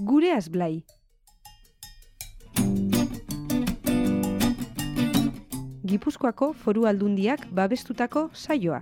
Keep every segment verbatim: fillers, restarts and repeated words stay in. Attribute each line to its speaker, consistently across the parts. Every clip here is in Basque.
Speaker 1: Gureaz Blai. Gipuzkoako Foru Aldundiak babestutako saioa.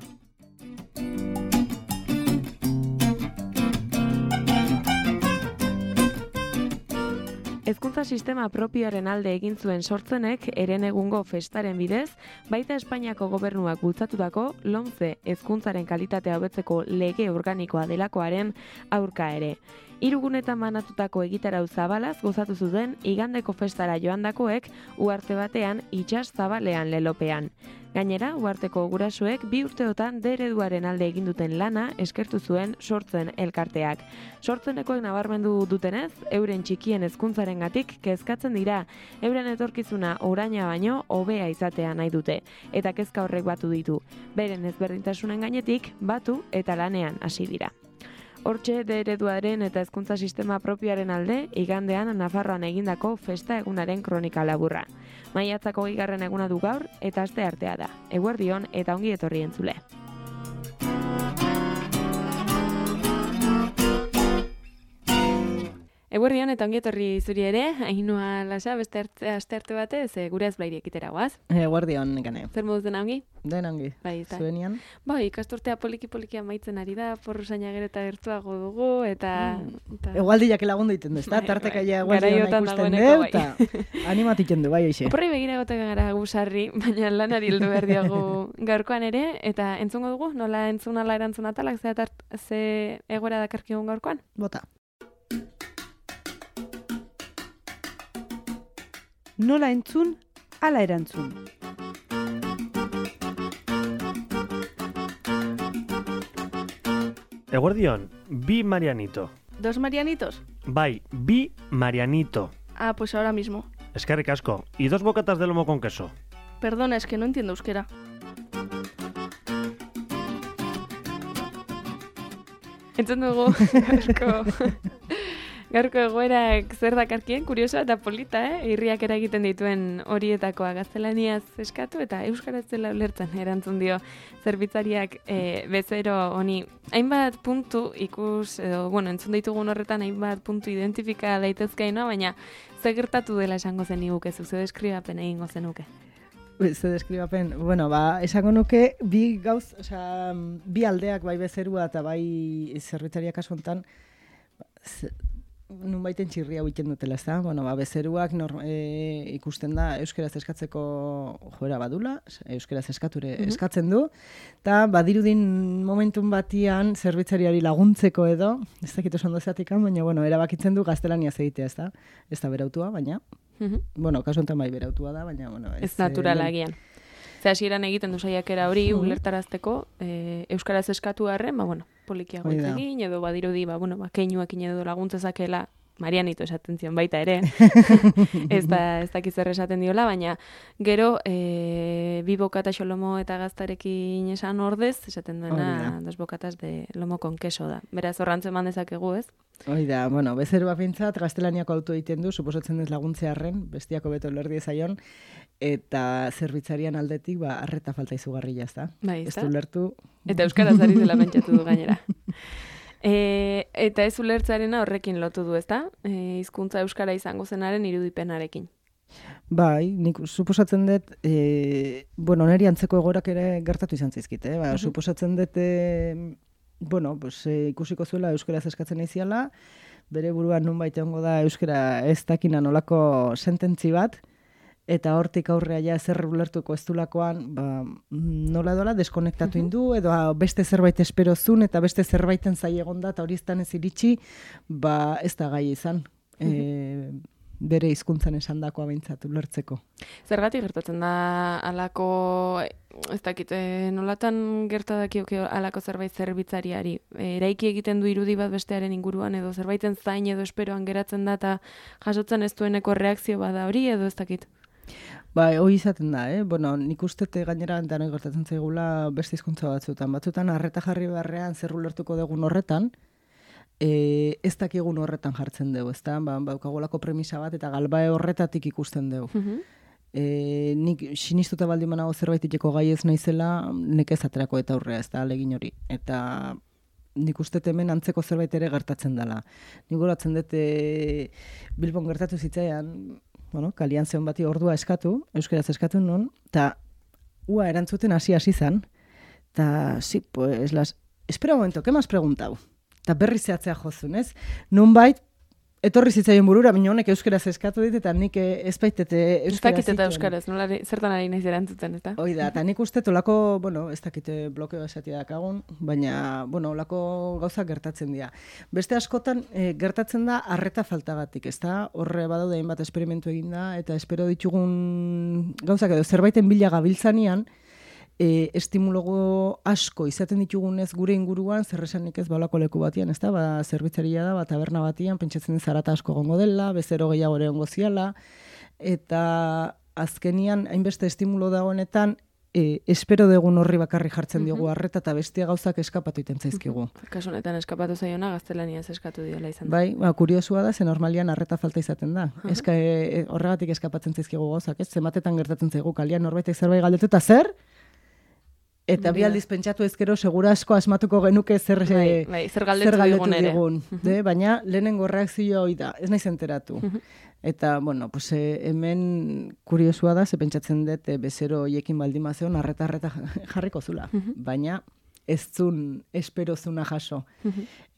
Speaker 1: Hezkuntza sistema propioaren alde egin zuen Sortzenek herenegungo festaren bidez, baita Espainiako gobernuak bultzatutako LOMCE hezkuntzaren kalitatea hobetzeko lege organikoa delakoaren aurka ere. Hirugunetan banatutako egitarau zabalaz gozatu zuten igandeko festara joandakoek uharte batean itsas zabalean lelopean. Gainera, uharteko gurasuek bi urteotan D ereduaren alde egin duten lana eskertu zuen Sortzen elkarteak. Sortzenekoek nabarmendu dutenez, euren txikien hezkuntzarengatik kezkatzen dira, euren etorkizuna oraina baino hobea izatea nahi dute, eta kezka horrek batu ditu. Beren ezberdintasunen gainetik batu eta lanean hasi dira. Hortxe D ereduaren eta hezkuntza sistema propioaren alde, igandean Nafarroan egindako festa egunaren kronika laburra. Maiatzako bigarren eguna du gaur eta asteartea da. Eguerdion eta ongi etorri entzule. Eguerdion eta ongi etorri zuri ere, Ainhoa Lasa, beste astearte batez, e, Gureaz Blai ekitera guaz.
Speaker 2: Eguerdion, nekane.
Speaker 1: Zer moduz dena ongi?
Speaker 2: Den ongi,
Speaker 1: bai,
Speaker 2: zuenian.
Speaker 1: Bai, ikasturtea poliki-poliki amaitzen ari da, porruzaina gero eta gertuago dugu, eta...
Speaker 2: Mm. eta... Egualdiak lagundu iten du, ez da?
Speaker 1: Bai,
Speaker 2: Tartekaia
Speaker 1: bai.
Speaker 2: egualdion ikusten du, eta animatiken du, bai, eixe.
Speaker 1: Oporri begira goten gara gusarri, baina lanari heldu behar diagu gaurkoan ere, eta entzungo dugu, nola entzun ala erantzun atalak, ze, atart, ze egoera dakarkigun gaurkoan?
Speaker 2: Bota.
Speaker 1: Nola entzun, ala erantzun.
Speaker 3: Eguerdion, bi Marianito.
Speaker 4: ¿Dos Marianitos?
Speaker 3: Bai, bi Marianito.
Speaker 4: Ah, pues ahora mismo.
Speaker 3: Eskerrik asko. Y dos bocatas de lomo con queso.
Speaker 4: Perdona, es que no entiendo euskera.
Speaker 1: Entzun dugu, gaurko, gaurko egoerak zer dakarkien, kuriosoa eta polita, eh? Irriak eragiten dituen horietakoa gaztelaniaz eskatu eta euskaraz dela ulertzen erantzun dio zerbitzariak e, bezero honi. Hainbat puntu ikus, edo, bueno, entzun ditugun horretan hainbat puntu identifika daitezkeina, baina zer gertatu dela esango zen iguke, zuze deskribapen egingo zenuke.
Speaker 2: Ze deskribapen, bueno, ba, esango nuke bi gauz, osea, bi aldeak bai bezerua eta bai zerbitzariak kasu hontan, nun baiten txirria huiten dutela, ez da? Bueno, ba, bezeruak nor, e, ikusten da euskeraz eskatzeko joera badula, euskeraz eskature mm-hmm. eskatzen du, eta badirudin momentun batian zerbitzariari laguntzeko edo, ez dakit oso ondo zatikan, baina, bueno, erabakitzen du gaztelaniaz egitea, ez da? Ez da berautua, baina, mm-hmm. bueno, kasu honetan bai berautua da, baina, bueno, ez...
Speaker 1: Ez naturala agian. Ze hasieran egiten du saiakera hori mm-hmm. ulertarazteko, e, euskaraz eskatu harren, ba, bueno, polikiago egin, edo badirudi, ba, bueno, ba, keinuekin edo laguntzezakela, Marianito esaten zion baita ere, ez da, ez dakiz zer esaten diola, baina gero, e, bi bokata xolomo eta gaztarekin esan ordez, esaten duena, dos bokatas de lomo con queso da. Beraz, horrantzen eman dezakegu, ez?
Speaker 2: Hoi da, bueno, bezerua pintzat, gaztelaniako auto egiten du, suposatzen dez laguntzearren, bestiako beto lerdi ezaion, eta zerbitzarian aldetik, ba, arreta falta izugarria, ez da?
Speaker 1: Bai, ez
Speaker 2: da? Ez du lertu...
Speaker 1: Eta euskaraz ari zela pentsatu du gainera. E, eta ez ulertzarena horrekin lotu du, ezta? E, hizkuntza euskara izango zenaren irudipenarekin.
Speaker 2: Bai, nik suposatzen dut, e, bueno, neri antzeko egorak ere gertatu izan zaizkite, eh? Ba, uh-huh. Suposatzen dut, e, bueno, pues, e, ikusiko zuela euskaraz eskatzen aiziala, bere buruan nunbait egongo da euskara ez dakina nolako sententzi bat, eta hortik aurrea ja zer ulertuko ez dulakoan, ba, nola dola deskonektatu uh-huh. indu, edo beste zerbait espero zun, eta beste zerbaiten zai egonda, eta hori ez iritsi, ba, ez da gai izan. Uh-huh. E, bere hizkuntzan esandakoa behintzat ulertzeko.
Speaker 1: Zergatik gertatzen da alako, ez dakit, nolatan gertadakioke alako zerbait zerbitzariari? Eraiki egiten du irudi bat bestearen inguruan, edo zerbaiten zain edo esperoan geratzen da, eta jasotzen ez dueneko reakzio bada hori, edo ez dakit?
Speaker 2: Ba, hori izaten da, eh? Bueno, nik ustete gainera denoi gertatzen zaigula beste hizkuntza batzutan. Batzutan arreta jarri beharrean zer ulertuko dugun horretan, e, ez dakigun horretan jartzen dugu, ezta? Ba, baukagolako premisa bat eta galbae horretatik ikusten dugu. Uh-huh. E, nik sinistuta baldin banago zerbait iteko gai ez naizela, nekez aterako eta aurrea, ez da, alegin hori. Eta nik uste hemen antzeko zerbait ere gertatzen dela. Nik goratzen dut e, Bilbon gertatu zitzaian, bueno, kalian zeon bati ordua eskatu, euskeraz eskatu nun, eta ua erantzuten hasi-hasi zan, eta, sí, pues, las... espera un momento, ¿qué me has preguntado? Eta berri zehatzea jozun, ez? Nunbait, etorri zitzaien burura, baina honek euskeraz eskatu dit, eta nik ez baitete euskeraz.
Speaker 1: Ez dakit eta euskaraz, nola zertan ari naiz erantzuten, eta?
Speaker 2: Hoi da, eta nik uste olako, bueno, ez dakite blokeo esatia dakagun, baina, bueno, olako gauzak gertatzen dira. Beste askotan e, gertatzen da arreta faltagatik, ez da? Horre badaude hainbat esperimentu egin da, eta espero ditugun gauzak edo zerbaiten bila gabiltzanian, E, estimulogo asko izaten ditugunez gure inguruan, zerresanik ez balako leku batian, ez da, ba, zerbitzaria da, ba, taberna batian, pentsatzen zarata asko gongo dela, bezero gehiago ere ongo ziala, eta azkenian, hainbeste estimulo dagoenetan, e, espero degun horri bakarri jartzen diogu arreta, eta bestia gauzak eskapatu iten zaizkigu.
Speaker 1: Kasu honetan eskapatu zaiona, gaztelaniaz eskatu diola izan da.
Speaker 2: Bai, ba, kuriosua da, ze normalian arreta falta izaten da. Eska, e, horregatik eskapatzen zaizkigu gauzak, ez? Zematetan gertatzen zaigu, kalian norbaitek zerbait galdetu, eta zer? Eta bi aldiz pentsatu ezkero, segura asko asmatuko genuke zer,
Speaker 1: bai, bai, zer galdetu, zer galdetu digun.
Speaker 2: digun de, baina lehenengo reakzioa hori da, ez naiz enteratu. Eta, bueno, pues, eh, hemen kuriosua da, ze pentsatzen dut, eh, bezero hoiekin baldin bazeon, arreta-arreta jarriko zula. Baina ez zun, espero zuna jaso.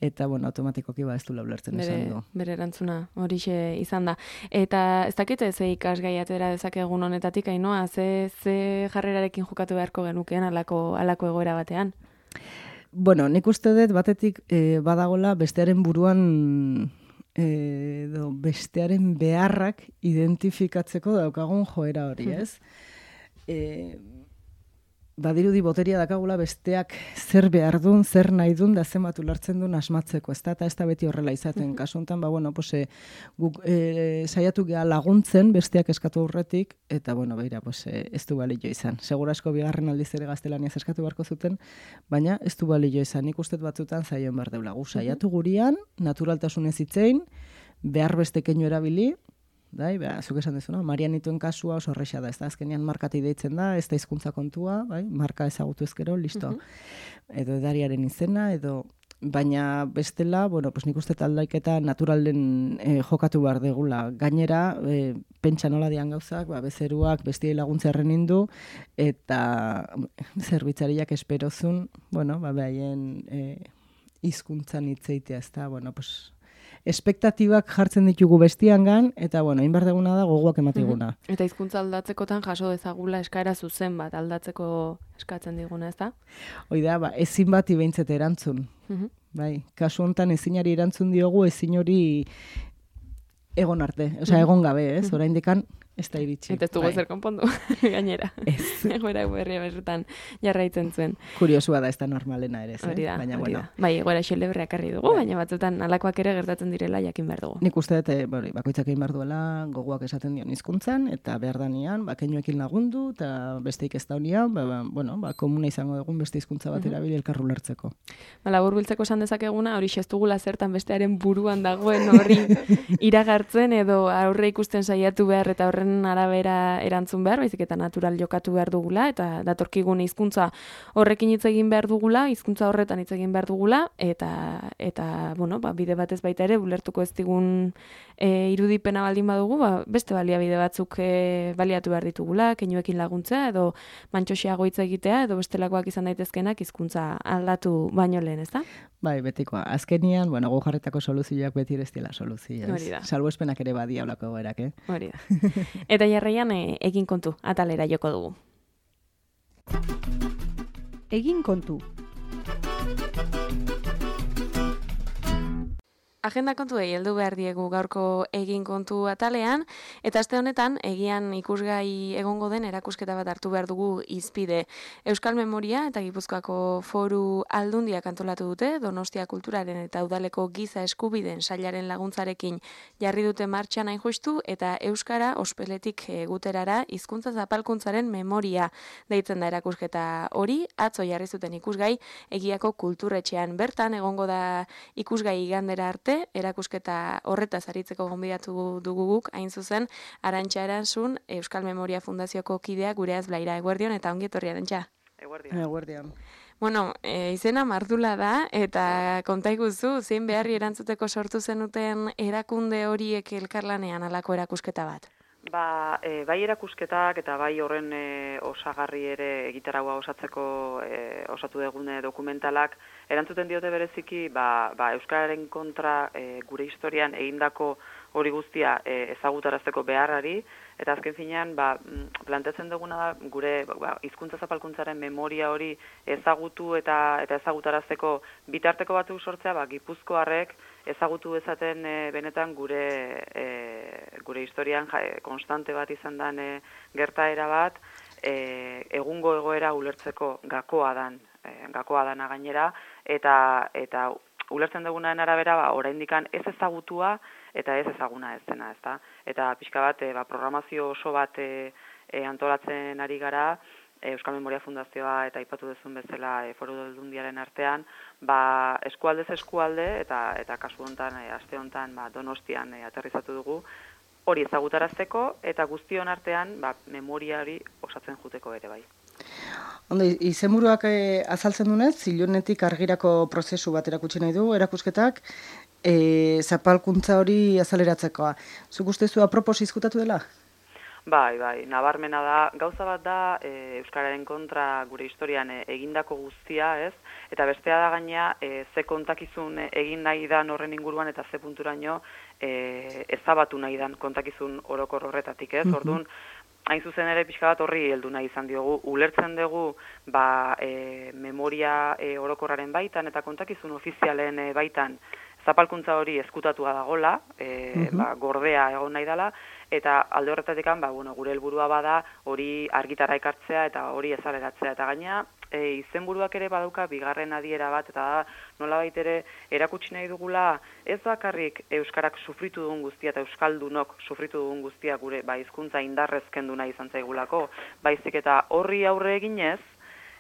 Speaker 2: Eta, bueno, automatikoki ba ez du laulertzen esan du.
Speaker 1: Bere erantzuna horixe izan da. Eta ez dakite ze ikasgai atera dezakegun honetatik, Ainoa, ze, ze jarrerarekin jokatu beharko genukeen alako, alako egoera batean?
Speaker 2: Bueno, nik uste dut batetik e, badagola bestearen buruan edo bestearen beharrak identifikatzeko daukagun joera hori, ez? E, badirudi boteria dakagula besteak zer behar dun, zer nahi dun, da zenbat ulertzen duen asmatzeko, ez da, eta ez da beti horrela izaten. Kasu honetan, ba, bueno, pues, e, guk e, saiatu geha laguntzen besteak eskatu aurretik, eta, bueno, beira, pues, e, ez du balio izan. Segura asko bigarren aldiz ere gaztelaniaz eskatu beharko zuten, baina ez du balio izan. Nik ustet batzutan zaion behar deula. Gu saiatu gurian, naturaltasunez hitzein, behar beste keinu erabili, bai, ba, zuk esan dezuna, Marianitoen kasua oso horreixa da, ez da, azkenean markati deitzen da, ez da hizkuntza kontua, bai, marka ezagutu ezkero, listo. Edo edariaren izena, edo, baina bestela, bueno, pues nik uste taldaiketa naturalen eh, jokatu behar degula. Gainera, eh, pentsa nola dian gauzak, ba, bezeruak bestiei laguntzearen indu, eta zerbitzariak esperozun, bueno, ba, behaien eh, hizkuntzan hitzeitea, ez da, bueno, pues, espektatibak jartzen ditugu bestiangan, eta, bueno, hainbar deguna da gogoak ematiguna.
Speaker 1: Uh-huh. Eta hizkuntza aldatzekotan jaso dezagula eskaera zuzen bat aldatzeko eskatzen diguna, ez da?
Speaker 2: Hoi da, ba, ezin bati behintzet erantzun. Uh-huh. Bai, kasu honetan ezinari erantzun diogu, ezin hori egon arte, osea, uh-huh. egon gabe, ez? Uh-huh. Oraindikan ez da iritsi.
Speaker 1: Eta ez dugu zer konpondu, gainera. Ez. Egoera berria berretan jarraitzen zuen.
Speaker 2: Kuriosua da, ez da normalena ere,
Speaker 1: hori da,
Speaker 2: baina,
Speaker 1: hori
Speaker 2: bueno.
Speaker 1: Da. Bai, egoera xelebreak arri dugu, baina batzutan alakoak ere gertatzen direla jakin behar dugu.
Speaker 2: Nik uste dut, bori, bakoitzak egin behar duela gogoak esaten dion hizkuntzan, eta behar danean, ba, keinuekin lagundu, eta besteik ez daunian, ba, ba, bueno, ba, komuna izango dugun beste hizkuntza bat erabili elkarru lertzeko.
Speaker 1: Ba, labur biltzeko esan dezakeguna, hori xestugula zertan bestearen buruan dagoen horri iragartzen, edo aurre ikusten saiatu behar, eta horren arabera erantzun behar, baizik eta natural jokatu behar dugula, eta datorkigun hizkuntza horrekin hitz egin behar dugula, hizkuntza horretan hitz egin behar dugula, eta, eta bueno, ba, bide batez baita ere, ulertuko ez digun e, irudipena baldin badugu, ba, beste baliabide batzuk e, baliatu behar ditugula, keinuekin laguntzea, edo mantxosiago hitz egitea, edo bestelakoak izan daitezkenak hizkuntza aldatu baino lehen, ez da?
Speaker 2: Bai, betikoa. Azkenian, bueno, gu jarretako soluzioak beti ez dela soluzioa.
Speaker 1: Hori da.
Speaker 2: Salbuespenak ere badia olako goerak, eh?
Speaker 1: Hori da. Eta jarraian e, egin kontu, atalera joko dugu.
Speaker 2: Egin kontu.
Speaker 1: Agenda kontuei heldu behar diegu gaurko egin kontu atalean, eta aste honetan egian ikusgai egongo den erakusketa bat hartu behar dugu hizpide. Euskal Memoria eta Gipuzkoako Foru Aldundiak antolatu dute, Donostia Kulturaren eta Udaleko Giza Eskubideen Sailaren laguntzarekin jarri dute martxan hain justu, eta Euskara ospeletik guterara hizkuntza zapalkuntzaren memoria deitzen da erakusketa hori, atzo jarri zuten ikusgai Egiako Kulturretxean. Bertan egongo da ikusgai igandera arte, erakusketa horretaz aritzeko gonbidatu dugu guk, hain zuzen, Arantxa Erantzun, Euskal Memoria Fundazioko kidea gureaz Blaira. Eguerdion eta ongi etorri, Arantxa.
Speaker 2: Eguerdion. Eguerdion.
Speaker 1: Bueno, e, izena Mardula da, eta konta iguzu, zein beharri erantzuteko sortu zenuten erakunde horiek elkarlanean alako erakusketa bat?
Speaker 5: Ba, e, bai erakusketak eta bai horren e, osagarri ere egitaragua osatzeko e, osatu degune dokumentalak, erantzuten diote bereziki ba, ba, Euskararen kontra e, gure historian egindako hori guztia e, ezagutarazteko beharrari, eta azken finean ba, planteatzen duguna da gure ba, hizkuntza zapalkuntzaren memoria hori ezagutu eta eta ezagutarazteko bitarteko batzuk sortzea, ba, gipuzkoarrek ezagutu dezaten e, benetan gure e, gure historian ja, konstante bat izan den e, gertaera bat, e, egungo egoera ulertzeko gakoa dan, e, gakoa dana gainera, eta eta ulertzen dugunaren arabera ba, oraindikan ez ezagutua eta ez ezaguna ez dena, ezta? Eta pixka bat, e, ba, programazio oso bat e, e, antolatzen ari gara, e, Euskal Memoria Fundazioa eta aipatu duzun bezala e, Foru Aldundiaren artean, ba, eskualdez eskualde eta eta kasu hontan, e, aste hontan, ba, Donostian e, aterrizatu dugu, hori ezagutarazteko eta guztion artean ba, memoria hori osatzen juteko ere bai.
Speaker 2: Ondo, izenburuak e, azaltzen dunez, zilunetik argirako prozesu bat erakutsi nahi du, erakusketak, e, zapalkuntza hori azaleratzekoa. Zuk ustezu apropos izkutatu dela?
Speaker 5: Bai, bai, nabarmena da, gauza bat da e, Euskararen kontra gure historian e, egindako guztia, ez? Eta bestea da gaina e, ze kontakizun egin nahi dan horren inguruan eta ze punturaino e, ezabatu nahi dan kontakizun orokor horretatik, ez? Orduan, hain zuzen ere pixka bat horri heldu nahi izan diogu, ulertzen dugu ba, e, memoria e, orokorraren baitan eta kontakizun ofizialen e, baitan zapalkuntza hori ezkutatua dagola, e, ba, gordea egon nahi dela, eta alde horretatik ba, bueno, gure helburua bada hori argitara ekartzea eta hori ezaleratzea. Eta gaina e, izenburuak ere badauka bigarren adiera bat, eta da nolabait ere erakutsi nahi dugula ez bakarrik euskarak sufritu dugun guztia eta euskaldunok sufritu dugun guztia gure ba, hizkuntza indarrez kendu nahi izan zaigulako, baizik eta horri aurre eginez,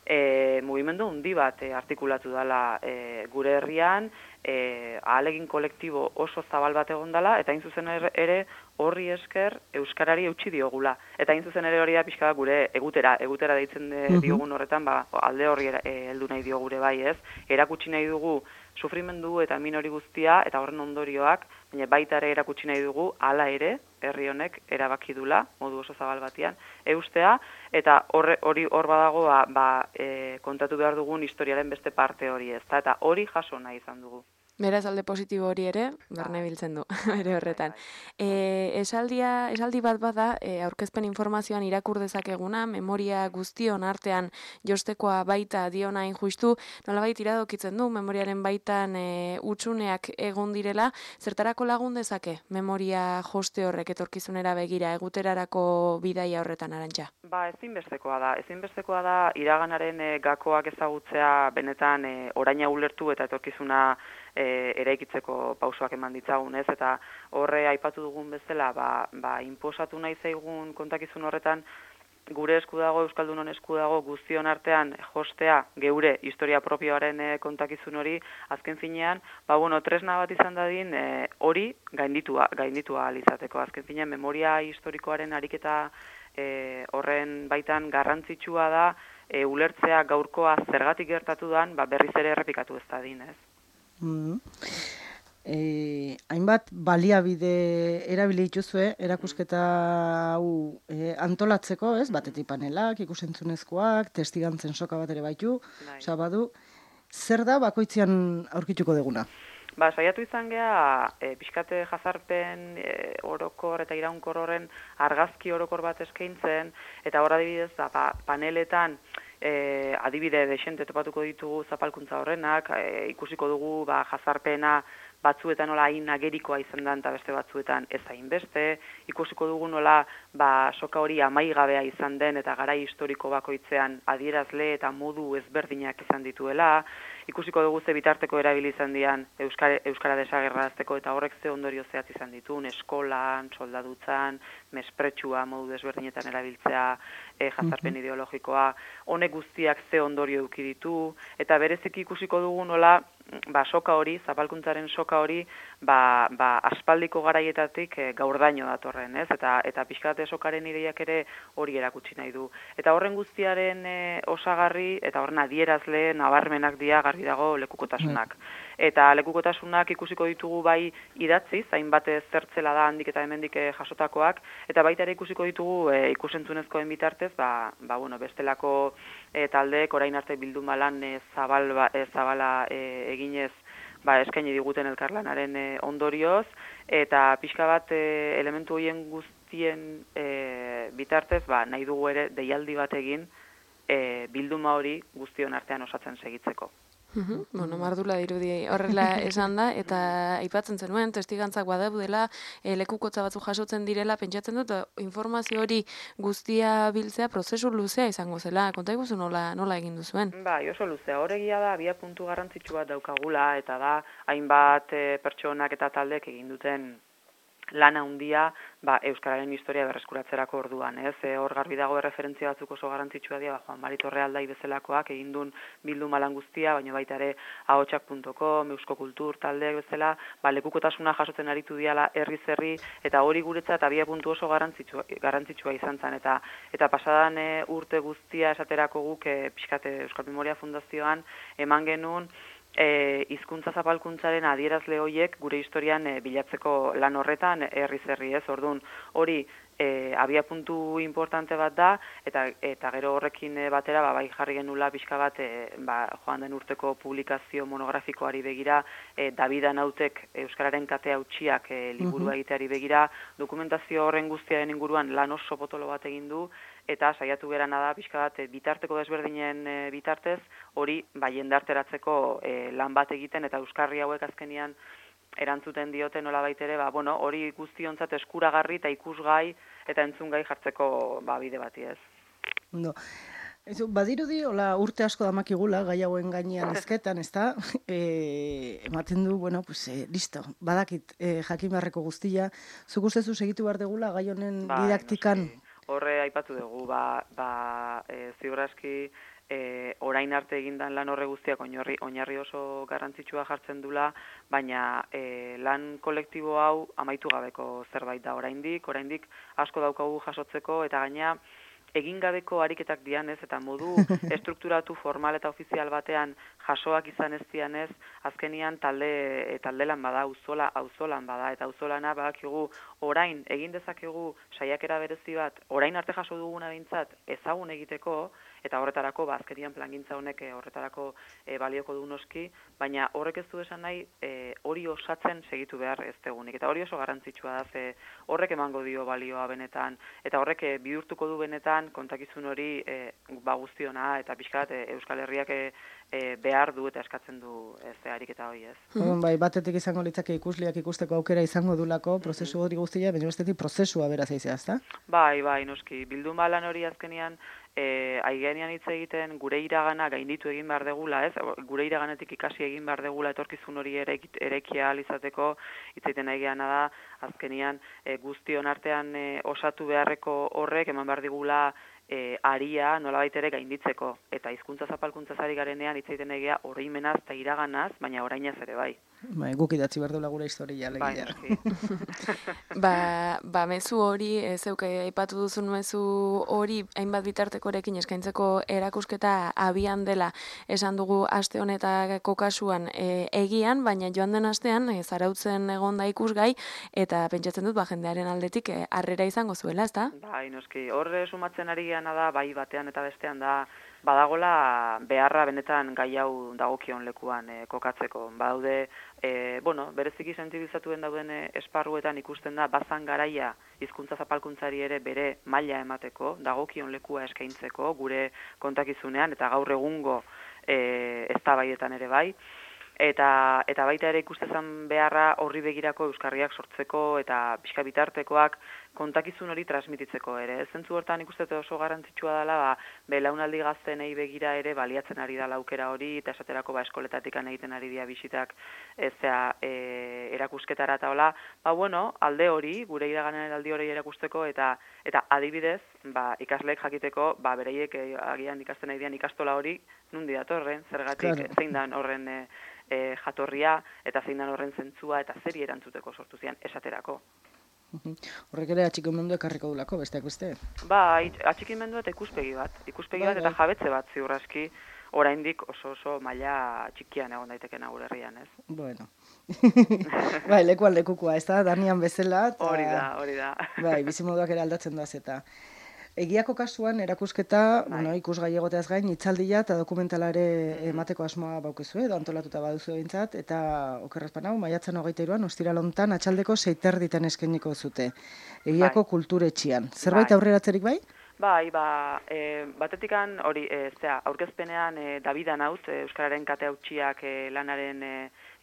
Speaker 5: E, mugimendu handi bat e, artikulatu dela e, gure herrian, e, ahalegin kolektibo oso zabal bat egon dela, eta hain zuzen ere horri esker euskarari eutsi diogula. Eta hain zuzen ere hori da pixka gure egutera, egutera deitzen de, diogun horretan, ba, alde horri e, heldu nahi dio gure bai ez, erakutsi nahi dugu sufrimendu eta min hori guztia, eta horren ondorioak, baina baita ere erakutsi nahi dugu, hala ere, herri honek erabaki dula, modu oso zabal batean, eustea, eta hori hor badago ba, ba, e, kontatu behar dugun historiaren beste parte hori ez, eta hori jaso nahi izan dugu.
Speaker 1: Beraz, alde positibo hori ere, barne biltzen du, bere horretan. E, esaldia, esaldi bat bada, e, aurkezpen informazioan irakur dezakeguna, memoria guztion artean jostekoa baita diona injustu, nolabait iradokitzen du, memoriaren baitan e, utsuneak egon direla, zertarako lagun dezake memoria joste horrek etorkizunera begira, eguterarako bidaia horretan Arantxa?
Speaker 5: Ba, ezinbestekoa da, ezinbestekoa da iraganaren e, gakoak ezagutzea benetan e, oraina ulertu eta etorkizuna E, eraikitzeko pausoak eman ditzagun, ez? Eta horre aipatu dugun bezala, ba, ba, inposatu nahi zaigun kontakizun horretan, gure esku dago, Euskaldunon esku dago, guztion artean jostea, geure historia propioaren e, kontakizun hori, azken finean, ba, bueno, tresna bat izan dadin, e, hori gainditua, gainditua alizateko. Azken finean, memoria historikoaren ariketa e, horren baitan garrantzitsua da, e, ulertzea gaurkoa zergatik gertatu dan, ba, berriz ere errepikatu ez dadin, ez?
Speaker 2: Mm. E, hainbat baliabide erabili dituzue erakusketa hau e, antolatzeko, ez? Batetik panelak, ikusentzunezkoak, testigantzen soka bat ere baitu, osea badu, zer da bakoitzean aurkituko deguna?
Speaker 5: Ba, saiatu izan gea, e, pixkate jazarpen e, orokor eta iraunkor horren argazki orokor bat eskaintzen, eta hor adibidez, ba, paneletan, E, adibide desente topatuko ditugu zapalkuntza horrenak, e, ikusiko dugu ba, jazarpena batzuetan nola hain agerikoa izan da eta beste batzuetan ez hain beste, ikusiko dugu nola ba, soka hori amaigabea izan den eta garai historiko bakoitzean adierazle eta modu ezberdinak izan dituela, ikusiko dugu ze bitarteko erabili izan dian Euskara, Euskara desagerrazteko eta horrek ze ondorio zehatz izan ditun, eskolan, soldadutzan, mespretsua modu desberdinetan erabiltzea, e, jazarpen ideologikoa, honek guztiak ze ondorio eduki ditu, eta bereziki ikusiko dugu nola ba, soka hori, zapalkuntzaren soka hori, ba, ba, aspaldiko garaietatik e, gaurdaino datorren, ez? Eta, eta pixkate sokaren ideiak ere hori erakutsi nahi du. Eta horren guztiaren e, osagarri, eta horren adierazle, nabarmenak dira garbi dago lekukotasunak. Eta lekukotasunak ikusiko ditugu bai idatziz, hainbat zertzela da handik eta hemendik jasotakoak, eta baita ere ikusiko ditugu e, ikusentzunezkoen bitartez, ba, ba, bueno, bestelako e, taldeek orain arte bildumalan e, zabal, ba, e, zabala e, eginez ba, eskaini diguten elkarlanaren e, ondorioz, eta pixka bat e, elementu horien guztien e, bitartez, ba, nahi dugu ere deialdi bat egin e, bilduma hori guztion artean osatzen segitzeko.
Speaker 1: Uhum. Bueno, mardula dirudi horrela esan da, eta aipatzen zenuen, testigantzak badaudela, e, lekukotza batzuk jasotzen direla, pentsatzen dut, informazio hori guztia biltzea prozesu luzea izango zela. Konta iguzu nola, nola egin duzuen?
Speaker 5: Bai, oso luzea. Horregia da, abia puntu garrantzitsu bat daukagula, eta da, hainbat e, pertsonak eta taldek egin duten lana handia ba, euskararen historia berreskuratzerako orduan, ez? E, hor garbi dago erreferentzia batzuk oso garrantzitsua dira, ba, Juan Mari Torrealdai bezalakoak egin duen bilduma lan guztia, baina baita ere ahotsak puntu com, Eusko Kultur taldeek bezala, ba, lekukotasuna jasotzen aritu diala herriz herri, eta hori guretzat abia puntu oso garrantzitsua, garrantzitsua izan zen, eta eta pasadan e, urte guztia esaterako guk e, pixkate Euskal Memoria Fundazioan eman genuen E, hizkuntza zapalkuntzaren adierazle horiek gure historian e, bilatzeko lan horretan herriz herri, ez? Orduan, hori e, abia puntu importante bat da, eta eta gero horrekin e, batera ba, bai jarri genula pixka bat e, ba, joan den urteko publikazio monografikoari begira, e, Davida Nautek euskararen kate hautsiak e, liburua egiteari begira, dokumentazio horren guztiaren inguruan lan oso potolo bat egin du, eta saiatu gerana da pixka bat bitarteko desberdinen e, bitartez hori bai jendarteratzeko e, lan bat egiten, eta euskarri hauek azkenian erantzuten diote nolabait ere, ba, bueno, hori guztiontzat eskuragarri eta ikusgai eta entzungai jartzeko ba, bide bati, ez.
Speaker 2: No. Ezo, badirudi, hola, urte asko damakigula, gai hauen gainean ezketan, ez da? E, ematen du, bueno, pues, e, listo, badakit, e, jakin beharreko guztia. Zuk ustezu segitu behar degula gai honen
Speaker 5: ba,
Speaker 2: didaktikan?
Speaker 5: Noski. Horre aipatu dugu, ba, ba e, ziurraski e, orain arte egindan lan horre guztiak oinarri, oinarri oso garrantzitsua jartzen dula, baina e, lan kolektibo hau amaitu gabeko zerbait da oraindik, oraindik asko daukagu jasotzeko, eta gaina egin gabeko ariketak dianez, eta modu estrukturatu formal eta ofizial batean jasoak izan ez dianez, azkenian talde, talde lan bada, auzola, auzolan bada, eta auzolana badakigu orain egin dezakegu saiakera berezi bat, orain arte jaso duguna behintzat ezagun egiteko, eta horretarako, ba, azkenian plangintza honek e, horretarako e, balioko du noski, baina horrek ez du esan nahi e, hori osatzen segitu behar ez degunik. Eta hori oso garrantzitsua da, ze horrek emango dio balioa benetan, eta horrek e, bihurtuko du benetan kontakizun hori e, ba guztiona, eta pixkat e, Euskal Herriak e, e, behar du eta eskatzen du ez ariketa hori, ez.
Speaker 2: Mm-hmm. Bai, batetik izango litzake ikusliak ikusteko aukera izango dulako, prozesu hori guztia, baina bestetik prozesua beraz eizea, ezta?
Speaker 5: Bai, bai, noski, bilduma lan hori azkenian, E, aigenean hitz egiten gure iragana gainditu egin behar degula, ez? Gure iraganetik ikasi egin behar degula etorkizun hori ere erekia alizateko, hitz egiten aigeana da, azkenian e, guztion artean e, osatu beharreko horrek eman behar digula e, aria nolabait ere gainditzeko, eta hizkuntza zapalkuntzaz ari garenean hitz egiten egia oroimenaz eta iraganaz, baina orainaz ere bai.
Speaker 2: Bai, guk idatzi behar duela gure historia legia.
Speaker 1: Bai, ba, ba, mezu hori, e, zeuke aipatu duzun mezu hori hainbat bitartekorekin eskaintzeko erakusketa abian dela esan dugu aste honetako kasuan e, egian, baina joan den astean e, zarautzen egon da ikusgai, eta pentsatzen dut ba, jendearen aldetik e, harrera izango zuela, ezta?
Speaker 5: Bai, noski, horre sumatzen ari geana da, bai batean eta bestean da, badagola beharra benetan gai hau dagokion lekuan e, kokatzeko. Badaude, e, bueno, bereziki sentsibilizatuen dauden e, esparruetan ikusten da bazan garaia hizkuntza zapalkuntzari ere bere maila emateko, dagokion lekua eskaintzeko gure kontakizunean eta gaur egungo e, eztabaidetan ere bai. Eta, eta baita ere ikustezan beharra horri begirako euskarriak sortzeko eta pixka bitartekoak kontakizun hori transmititzeko ere. Zentzu hortan ikustete oso garrantzitsua dela, ba, belaunaldi gaztenei begira ere baliatzen ari da aukera hori, eta esaterako ba, eskoletatik egiten ari dira bisitak ezea e, erakusketara eta hola, ba, bueno, alde hori, gure iraganen aldi hori erakusteko, eta eta adibidez, ba, ikasleek jakiteko, ba, bereiek e, agian ikasten nahi dian ikastola hori, nundi datorren, zergatik
Speaker 2: Claro.
Speaker 5: zein dan horren e, e, jatorria, eta zein dan horren zentzua, eta zeri erantzuteko sortu zian esaterako.
Speaker 2: Horrek ere atxikimendu ekarriko dulako, besteak beste.
Speaker 5: Ba, atxikimendu eta ikuspegi bat. Ikuspegi
Speaker 2: Bai,
Speaker 5: bat eta
Speaker 2: bai.
Speaker 5: jabetze bat ziur aski, oraindik oso oso maila txikian egon daitekena gure herrian, ez?
Speaker 2: Bueno. Bai, lekuan lekukua, ez da, Danian bezala. Eta,
Speaker 5: Hori da, hori da.
Speaker 2: Bai, bizimoduak ere aldatzen doaz eta. Egiako kasuan, erakusketa,
Speaker 5: Bai.
Speaker 2: bueno, ikusgai egoteaz gain, itzaldia eta dokumentala ere emateko asmoa baukezu, edo antolatuta baduzu behintzat, eta okerrezpan hau, maiatzen hogeita iruan, ostira lontan, atxaldeko seiterditan eskainiko zute. Egiako
Speaker 5: Bai.
Speaker 2: kulturetxian. Zerbait
Speaker 5: Bai.
Speaker 2: aurreratzerik bai?
Speaker 5: Bai, ba, e, batetikan hori, e, zera, aurkezpenean e, Davida Nauz, e, Euskararen kate hautsiak e, lanaren e,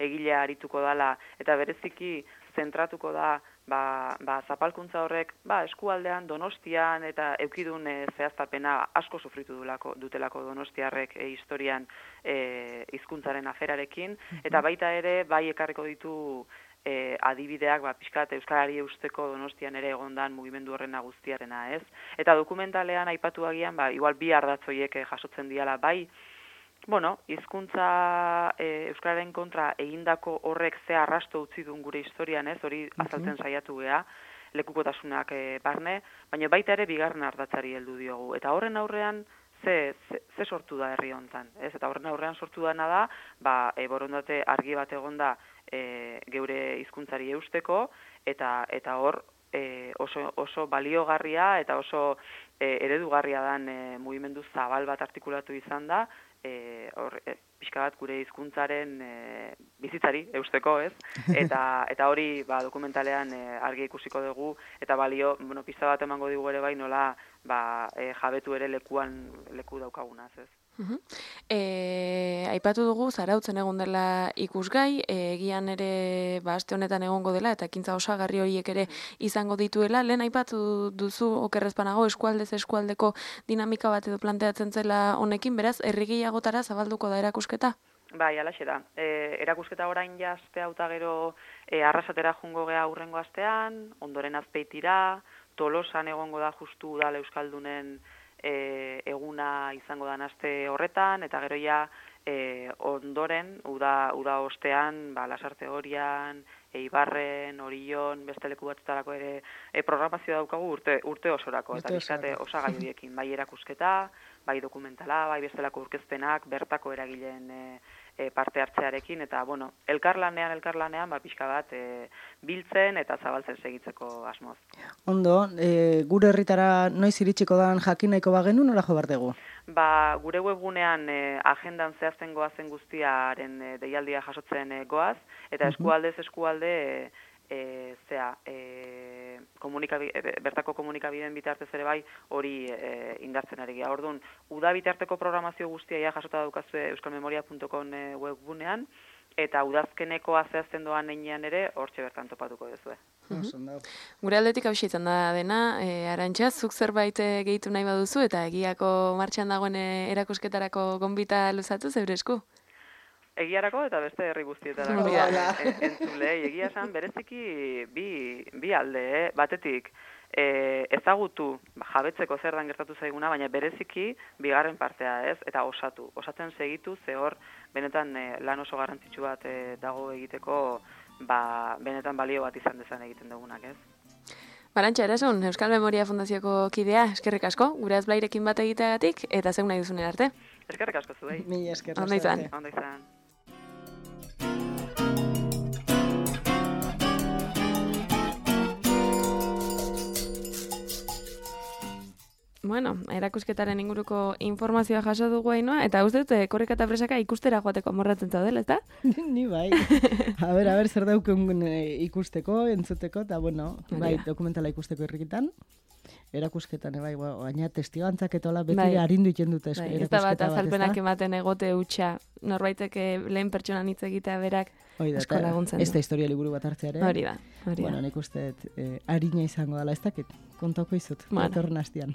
Speaker 5: egilea arituko dala, eta bereziki zentratuko da, ba, ba, zapalkuntza horrek, ba, eskualdean, Donostian, eta eukidun e, zehaztapena asko sufritu dulako, dutelako Donostiarrek e, historian e, hizkuntzaren aferarekin, eta baita ere, bai ekarriko ditu E, adibideak, ba, pixkat Euskarari eusteko Donostian ere egondan mugimendu horren guztiarena, ez? Eta dokumentalean aipatu agian, ba, igual bi ardatzoiek eh, jasotzen diala, bai, bueno, hizkuntza e, Euskararen kontra egindako horrek ze arrasto utzi duen gure historian, ez? Hori azaltzen saiatu gea, lekukotasunak e, barne, baina baita ere bigarren ardatzari heldu diogu. Eta horren aurrean, Ze, ze, ze sortu da herri hontan, ez? Eta horren aurrean sortu dana da, ba, e, borondate argi bat egonda e, geure hizkuntzari eusteko, eta eta hor e, oso, oso baliogarria eta oso e, eredugarria dan e, mugimendu zabal bat artikulatu izan da, e, hor, e, pixka bat gure hizkuntzaren e, bizitzari eusteko, ez? Eta eta hori ba, dokumentalean e, argi ikusiko dugu, eta balio, bueno, pista bat emango digu ere bai nola ba, e, jabetu ere lekuan leku daukagunaz, ez?
Speaker 1: Uh-huh. E, aipatu dugu Zarautzen egon dela ikusgai, e, egian ere ba, aste honetan egongo dela eta ekintza osagarri horiek ere izango dituela. Lehen aipatu duzu okerrezpanago eskualdez eskualdeko dinamika bat edo planteatzen zela honekin, beraz, herri gehiagotara zabalduko da erakusketa?
Speaker 5: Bai, alaxe da. E, erakusketa orain ja aste hau eta gero e, Arrasatera jungo gea aurrengo astean, ondoren Azpeitira, Tolosan egongo da justu udal euskaldunen E, eguna izango da aste horretan, eta gero ja e, ondoren, uda, uda ostean, ba, Lasarte Horian, Eibarren, Orion, beste leku batzutarako ere e, programazio daukagu urte, urte osorako, eta bizkate osagai horiekin, bai erakusketa, bai dokumentala, bai bestelako urkezpenak, bertako eragileen e, e, parte hartzearekin, eta, bueno, elkarlanean, elkarlanean, ba, pixka bat, e, biltzen eta zabaltzen segitzeko asmoz.
Speaker 2: Ondo, e, gure herritara noiz iritsiko dan jakin nahiko bagenu, nola jo bardegu?
Speaker 5: Ba, gure webgunean e, agendan zehazten goazen guztiaren e, deialdia jasotzen e, goaz, eta eskualdez eskualde e, e, zea, e, komunikabi, e, bertako komunikabideen bitartez ere bai hori e, indartzen ari gara. Orduan, uda bitarteko programazio guztia ja jasota daukazue euskalmemoria puntu com e, webgunean, eta udazkeneko zehazten doan heinean ere hortxe bertan topatuko duzue.
Speaker 1: Mm-hmm. Gure aldetik hau izan da dena, e, Arantxa, zuk zerbait e, gehitu nahi baduzu eta egiako martxan dagoen e, erakusketarako gonbita luzatu zeure esku?
Speaker 5: Egiarako eta beste herri guztietarako e, entzule, egia esan bereziki bi, bi alde, eh? Batetik, e, ezagutu jabetzeko zer dan gertatu zaiguna, baina bereziki bigarren partea, ez? Eta osatu, osatzen segitu, ze hor benetan e, lan oso garrantzitsu bat e, dago egiteko, ba, benetan balio bat izan dezan egiten dugunak, ez?
Speaker 1: Arantxa, erasun, Euskal Memoria Fundazioko kidea, eskerrik asko, gure azblairekin bat egiteagatik, eta zeun nahi duzunen arte.
Speaker 5: Eskerrik asko zuei.
Speaker 2: Mila esker.
Speaker 1: Ondo izan.
Speaker 5: Ondo izan.
Speaker 1: Bueno, erakusketaren inguruko informazioa jaso dugu Ainhoa, eta uste dut Korrika eta Presaka ikustera joateko amorratzen zaudela, ezta?
Speaker 2: Ni bai. A ber, a ber, zer dauken ikusteko, entzuteko, eta bueno, bai, dokumentala ikusteko irrikitan. erakusketan, bai, baina testigantzak eta hola beti
Speaker 1: Bai.
Speaker 2: arindu iten dute
Speaker 1: Bai,
Speaker 2: erakusketa
Speaker 1: ez da bat
Speaker 2: bat, ez
Speaker 1: azalpenak
Speaker 2: da?
Speaker 1: ematen egote hutsa, norbaitek eh, lehen pertsonan hitz egitea berak
Speaker 2: Hori da,
Speaker 1: asko
Speaker 2: eta
Speaker 1: laguntzen
Speaker 2: ez
Speaker 1: du.
Speaker 2: da historia liburu bat hartzearen.
Speaker 1: Hori da, hori
Speaker 2: Bueno,
Speaker 1: da.
Speaker 2: nik uste dut, eh, arina izango dela, ez dakit, kontauko izut,
Speaker 1: Bueno.
Speaker 2: datorren hastian.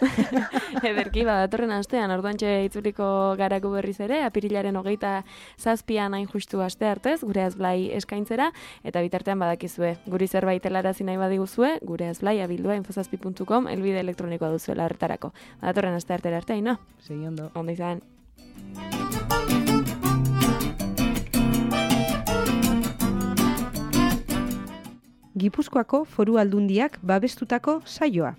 Speaker 1: Ederki, ba, datorren astean, orduantxe itzuliko garako berriz ere, apirilaren hogeita zazpian hain justu aste hartez, gure azblai eskaintzera, eta bitartean badakizue, guri zerbait helarazi nahi badiguzue, gure azblai abildua infozazpi puntu com, elbide elektronikoa duzuela horretarako. Ba, datorren aste artera arte, no?
Speaker 2: Segi ondo.
Speaker 1: Ondo izan.
Speaker 6: Gipuzkoako Foru Aldundiak babestutako saioa.